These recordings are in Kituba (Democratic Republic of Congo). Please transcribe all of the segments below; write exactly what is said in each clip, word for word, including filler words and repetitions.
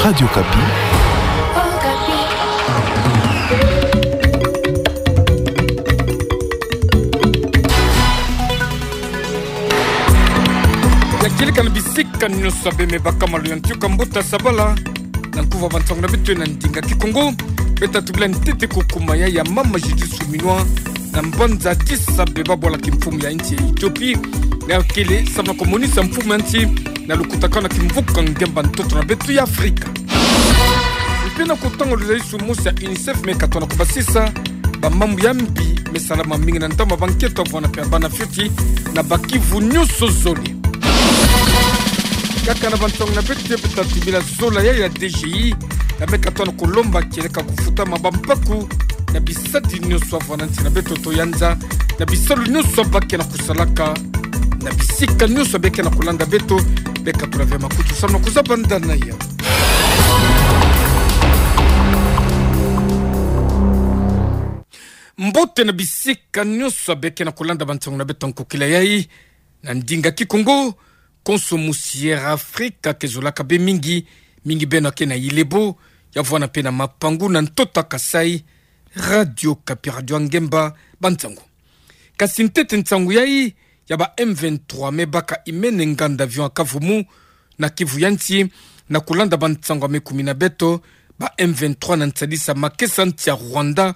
Radio Okapi. Ya kieleka na bisika nyonso bê me baka malu ya ntiuka mbuta sabala. Na nkuva bansango na beto na ndinga Kikongo. Bê ta tubila ntete kukumaya ya mama Judith Suminwa na mbanza Addis Abeba, bwala kimfumu ya nsi ya Ethiopie. Na kele samu na kumonisa mfumu ya nsi na lukutakano na kimvuka ngemba ntoto na beto ya Afrika. Mpe na kutanga luzayisu mosi ya UNICEF me katona kubasisa bamambu ya mbi me salama mingi na ntama bankento avwanda mpe bana fioti na Bas-Kivu nyonso zole. Kaka na bansango na beto, bê ta tubila zola ya, ya DGI, ya me katona kulomba kieleka kufutama bampaku na bisadi nyonso avwanda nsi na beto to ya nza, na bisalu nyonso bake na kusalaka, na bisika nyonso bê ke na kulanda beto. Bê katula ve makutu samu na kuzaba ndana ya. Mbote na bisika nyonso bê ke na kulanda bansango na beto nkokila yayi, na ndinga Kikongo, konso musi Air Afrika ke zolaka bê mingi, mingi beno ke na Ilebo, ya vwanda mpe na Mapangu na ntoto Kasaï. Radio Okapi, radio ya ngemba, bansango. Kasi ntete nsango yayi, ya ba M vingt-trois me baka imene nganda avion ya kavumu na Kivu ya nsi, na kulanda bansango ya me kumi na beto, ba M vingt-trois na nsadisa makesa nsi ya Rwanda,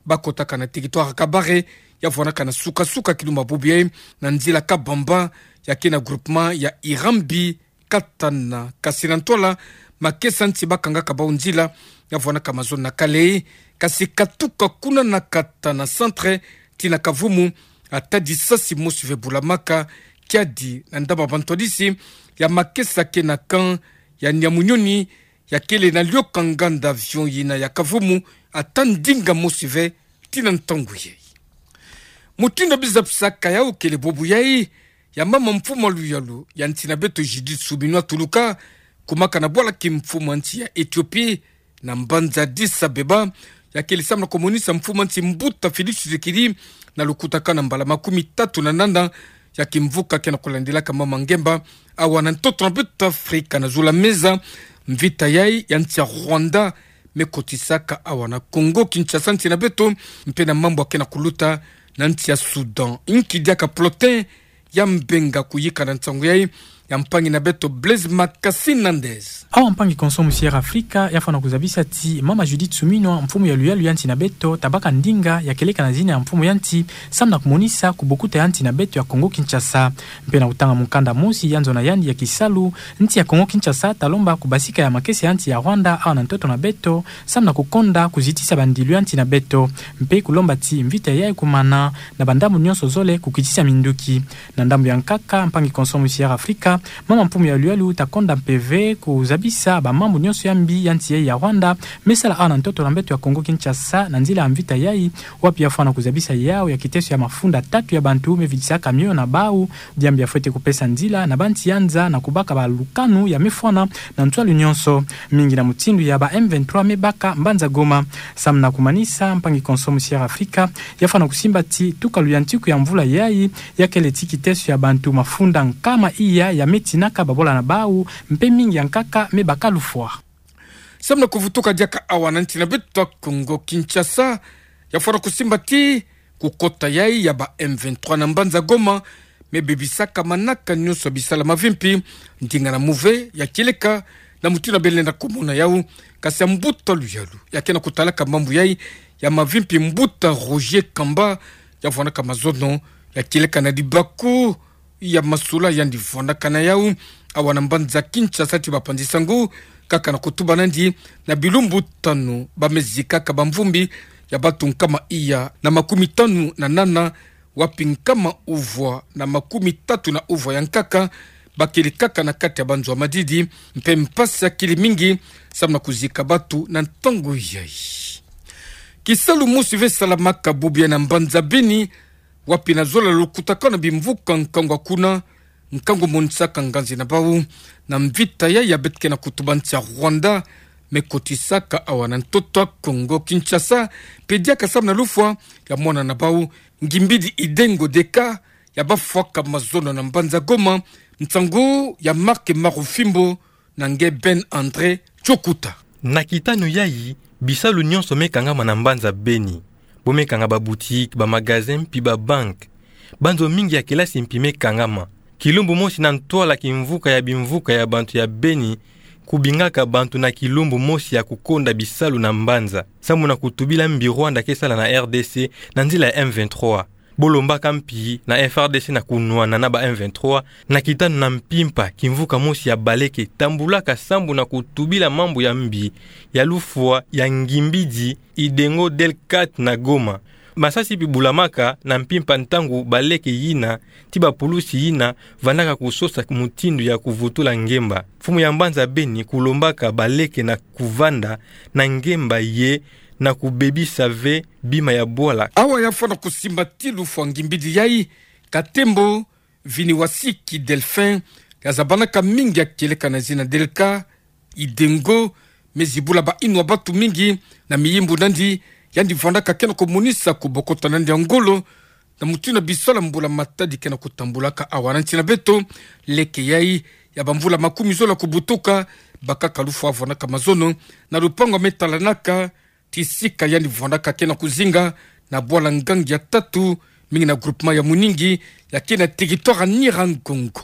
bakotaka na territoire ya Kabare, ya vwandaka na suka-suka kilumba bubu yayi, na nzila Kabamba, ya ke na groupement ya Irambi, Katana. Kasi na ntwala, makesa nsi bakangaka bau nzila, ya vwandaka mazono na Kalehe, kasi katuka kuna na Katana centre, tii na kavumu, ata disasi mosi ve bulamaka, kiadi na ndaba bantwadisi ya makesa ke na camp ya Nyamunyoni, ya kele na lioka nganda avion yina ya kavumu, ata ndinga mosi ve, tii na ntangu yayi. Mutindu bê zabisaka yawu kele bubu yayi, ya mama mfumu ya luyalu ya nsi na beto Judith Suminwa tuluka, kumaka na bwala kimfumu ya nsi ya Ethiopie, na mbanza Addis Abeba, ya kele samu na kumonisa mfumu ya nsi mbuta Félix Tshisekedi, na lukutakano na mbala makumi tatu na nana ya kimvuka ke na kulandilaka mama ngemba, awa na ntoto na beto Afrika na zulu ya meza, mvita yayi ya nsi ya Rwanda, me kotisaka awa na Congo Kinshasa nsi na beto, mpe na mambu ya ke na kuluta na nsi ya Soudan. Nki diaka plotin ya mbenga kuyika na nsango yayi, ya mpangi na beto Blaise Makasi Nandez. Awa mpangi konso musi Air Afrika, ya fwana kuzabisa ti mama Judith Suminwa, mfumu ya luyalu ya nsi na beto, ta baka ndinga ya kieleka na zina ya mfumu ya nsi, samu na kumonisa kubokuta ya nsi na beto ya Congo Kinshasa. Mpe na kutanga mukanda mosi ya nzo na yandi ya kisalu, nsi ya Congo Kinshasa ta lomba kubasika ya makesa ya nsi ya Rwanda awa na ntoto na beto, samu na kukonda kuzitisa bandilu ya nsi na beto. Mpe kulomba ti mvita yayi kumana na bandambu nyonso zole kukitisa minduki. Na ndambu ya nkaka, mpangi konso musi Air Afrika, mama mfumu ya luyalu ta konda mpe ve kuzabisa bamambu nyonso ya mbi ya nsi yayi ya Rwanda me sala awa na ntoto na beto ya Congo Kinshasa na nzila ya mvita yayi, wapi ya fwana kuzabisa yawu ya kiteso ya mafunda tatu ya bantu me vidisaka mioyo na bawu, diambu ya fwete kupesa nzila na bansi ya nza na kubaka balukanu ya me fwana na nswalu nyonso, mingi na mutindu ya ba M vingt-trois me baka mbanza Goma. Samu na kumanisa, mpangi konso musi Air Afrika, ya fwana kusimba ti tuka luyantiku ya mvula yayi, ya kele ti kiteso ya bantu mafunda nkama iya ya me tinaka babola na bawu, mpe mingi ya nkaka me baka lufwa. Samu na kuvutuka diaka awa na nsi na beto Congo Kinshasa, ya fwana kusimba ti kukota yayi ya ba M vingt-trois na mbanza Goma, me bebisaka manaka nyonso ya bisala mavimpi, ndinga na muve ya kieleka na mutindu bê lenda kumona yawu, kasi ya mbuta luyalu ya ke na kutalaka mambu yayi ya mavimpi, mbuta Roger Kamba, ya vwandaka mazono ya kieleka na libaku ya masula yandi vwandaka na yawu awa na mbanza Kinshasa ti bapanzi sango, kaka na kutuba nandi na bilumbu tanu ba me zikaka bamvumbi ya bantu nkama iya na makumi tanu na nana, wapi nkama uvwa na makumi tatu na uvwa ya nkaka ba kele kaka na kati ya banzo ya madidi, mpe mpasi ya kele mingi samu na kuzika bantu na ntangu yayi. Kisalu mosi ve salamaka bubu yayi na mbanza Beni, wapi na zola lukutakano na bimvuka nkangu ya kuna, nkangu monisaka nganzi na bawu na mvita yayi ya beto ke na kutuba nsi ya Rwanda me kotisaka awa na ntoto ya Congo Kinshasa, mpe diaka samu na lufwa ya mwana na bawu, Ngimbidi Idengo Deka, ya bafwaka mazono na mbanza Goma, nsangu ya Marc Marufimbo na nge Ben André Tiokuta. Na kitano yayi, bisalu nyonso me kangama na mbanza Beni. Bo me kanga ba boutique, ba magasin, mpi ba banque. Banzo mingi ya kelasi mpi me kangama. Kilumbu mosi na ntwala kimvuka ya bimvuka ya bantu ya Beni, kubingaka bantu na kilumbu mosi ya kukonda bisalu na mbanza. Samu na kutubila mbi Rwanda ke sala na R D C na nzila ya M vingt-trois. Bo lombaka mpi na F R D C na kunwana na ba M vingt-trois, na kitano na mpimpa, kimvuka mosi ya baleke tambulaka sambu na kutubila mambu ya mbi, ya lufwa, ya ngimbidi, Idengo, Delcat na Goma. Masasi mpi bulamaka na mpimpa ntangu baleke yina, ti ba pulusi yina, vandaka kusosa mutindu ya kuvutula ngemba. Mfumu ya mbanza Beni kulombaka baleke na kuvanda na ngemba ye na kubebisa ve bima ya bwala. Awa ya fwana kusimba ti lufwa ngimbidi yayi, Katembo Viniwasiki Delphin, ya zabanaka mingi ya kieleka na zina Delcat, Idengo, me zibula ba inwa batu mingi na miyimbu nandi, yandi vandaka ke na kumonisa kubokota nandi ya ngolo, na mutindu bisalu ya mbula matadi ke na kutambulaka awa. Na nsi na beto, leke yayi ya ba mvula makumi zola kubutuka, bakaka lufwa vandaka mazono na lupangu ya me talanaka, ti sika yandi vandaka ke na kuzinga na bwala ngangi ya tatu, mingi na groupement ya Muningi, ya ke na territoire ya Nyiragongo.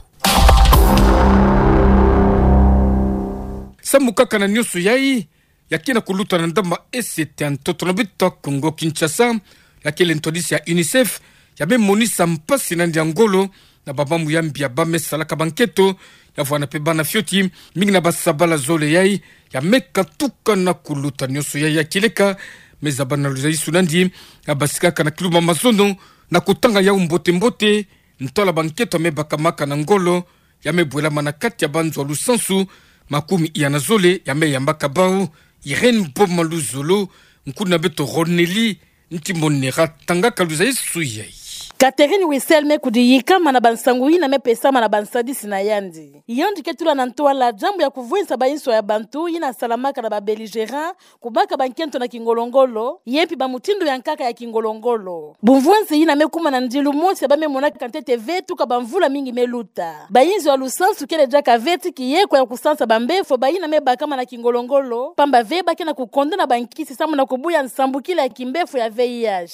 Samu kaka na nyonso yayi, ya ke na kuluta na ndamba S T ya ntoto na beto ya Kongo Kinshasa, ya kele ntwadisi ya UNICEF, ya me monisa mpasi nandi ya ngolo, na ba mambu ya mbi ya ba me salaka ba nkento, ya vwanda mpe bana fioti, mingi na ba sabala zole yayi, ya me katuka na kuluta nyonso yayi ya kieleka, me zaba na luzaisu nandi, ya basikaka na kilumbu ya mazono, na kutanga yau mbote-mbote, ntwala ba nkento ya me bakamaka na ngolo, ya me bwelama na kati ya ba nzo ya lusansu makumi iya na zole, ya me yambaka bau. Irène Boma Luzolo, nkuna beto Ronelly Ntimonera tangaka luzaisu yayi. Catherine Wiesel me kudiyikama na ba nsangu yina me pesama na ba nsadisi na yandi. Yandi ke tula na ntwala diambu ya kuvwisa ba inswa ya bantu yina salamaka na ba belligérants, kubaka ba nkento na kingolo-ngolo, ye mpi ba mutindu ya nkaka ya kingolo-ngolo. Bumvwansi yina me kuma na ndilu mosi ya ba me monaka ntete ve tuka ba mvula mingi me luta. Ba inzo ya lusansu kele diaka ve ti kiyekwa ya kusansa ba mbefo, ba yina me bakama na kingolo-ngolo, pamba ve ba ke na kukonda na ba nkisi samu na kubuya nsambukila ya kimbefo ya V I H.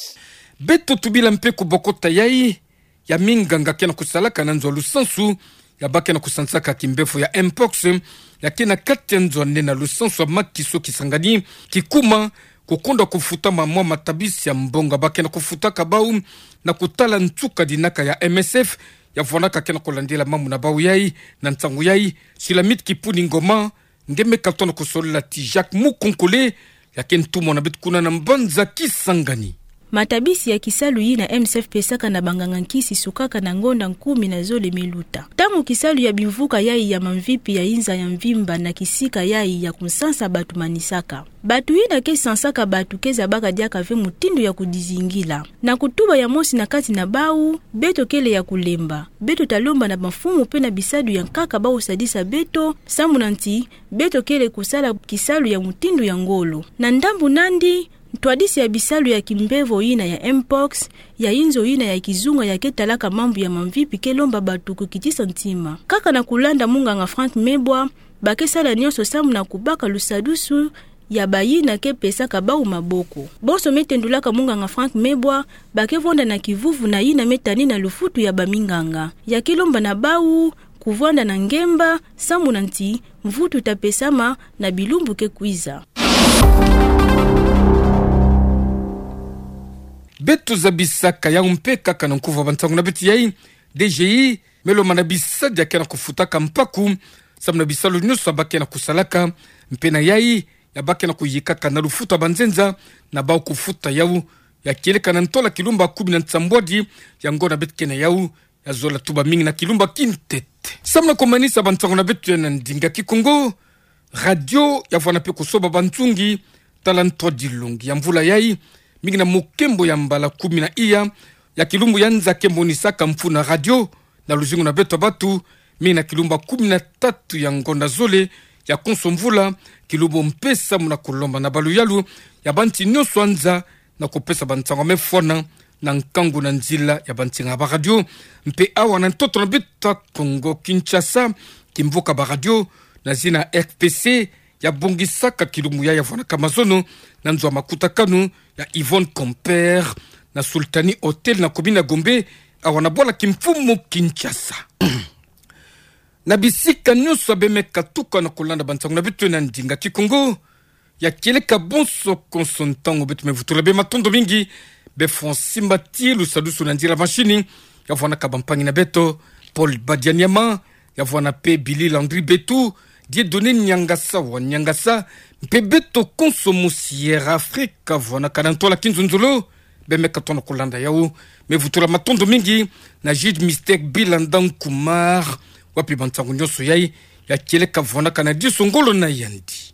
Beto tubila mpe kubokota yayi ya minganga ke na kusalaka na nzo ya lusansu, ya ba ke na kusansaka kimbefo ya mpox, ya ke na kati ya nzo ya nene ya lusansu ya Makiso Kisangani, kikuma kukonda kufutama mwa matabisi ya mbongo ya ba ke na kufutaka bau, na kutala nsuka dinaka ya M S F, ya vwandaka ke na kulandila mambu na bau yayi. Na nsangu yayi, Sulamite Kipuni Ngoma, nge me katona kusolila ti Jacques Mukonkole, ya ke ntumwa na beto kuna na mbanza Kisangani. Matabisi ya kisalu yina M S F pesaka na banganga nkisi sukaka na ngonda kumi na zole me luta. Ntangu kisalu ya bimvuka yayi ya mamvipi ya inza ya mvimba na kisika yayi ya kusansa batu manisaka, batu yina ke sansaka batu ke zabaka diaka ve mutindu ya kudizingila. Na kutuba ya mosi na kati na bau, beto kele ya kulemba. Beto ta lomba na ba mfumu mpe na bisadu ya nkaka bau sadisa beto, samu na nti, beto kele kusala kisalu ya mutindu ya ngolo. Na ndambu nandi, ntwadisi ya bisalu ya kimbefo yina ya mpox, ya inzo yina ya kizunga ya ke talaka mambu ya mamvipi ke lomba batu kukitisa ntima. Kaka na kulanda munganga Franck Mebwa, ba ke sala nyonso samu na kubaka lusadusu ya ba yina ke pesaka bau maboko. Bonso me tendulaka munganga Franck Mebwa, ba ke vwanda na kivuvu na yina me tani na lufutu ya ba minganga. Ya ke lomba na bau kuvwanda na ngemba, samu na nti, mvutu ta pesama na bilumbu ke kwiza. Beto zabisaka yau mpe kaka na nkuvu ya ba nsangu na beto yayi, D G I me lomba na bisadi ya ke na kufutaka mpaku, samu na bisalu nyonso ya ba ke na kusalaka, mpe na yayi, ya ba ke na kuyikaka na lufutu ya banzenza, na bau kufuta yau, ya kieleka na ntola kilumbu ya kumi na nsambwadi ya ngonda beto ke na yau, ya zola tuba mingi na kilumbu ya kintete. Samu na kumanisa ba nsangu na beto ya na ndinga Kikongo, radio ya vwanda mpe kusoba ba nzungi, tala ntwadilongi ya mvula yayi, mingi na mukembo ya mbala kumi na iya ya kilumbu ya nza ke monisaka mfunu ya radio, na luzingu na beto batu, mingi na kilumbu ya kumi na tatu ya ngonda zole ya konso mvula, kilumbu mpe samu na kulomba na baluyalu ya ba nti nyonso ya nza, na kupesa ba nsangu ya me fwana na nkangu na nzila ya ba nsinga ya ba radio. Mpe awa na ntoto na beto ya Kongo Kinshasa, kimvuka ba radio na zina R T C, ya bongisaka kilumbu ya, ya vwanaka mazono na nzo a makutakanu ya Yvonne Compère na Sultani Hotel na commune ya Gombe, awa na bwala kimfumu Kinshasa. Na bisika nyonso bemeka tuka na kolanda bansangu na beto na ndinga Kikongo, ya kieleka bonso konso ntangu beto mevutula bê matondo mingi. Bê Francis Mbati, lusadusu na nzila mashini, ya vwanaka bampangi na beto, Paul Badianyama, ya vwana pe Billy Landry Betu, Dieudonné Niangasa wa Niangasa, mpe beto konso mu Sierra Africa, vwanaka na ntwala kinzonzolo, bemeka tona kolanda yawu, mevutula matondo mingi na Jude Mystère Bilanda Nkumar, wapi bansangu nyonso yayi, ya kieleka vwanaka na diso ngolo na yandi.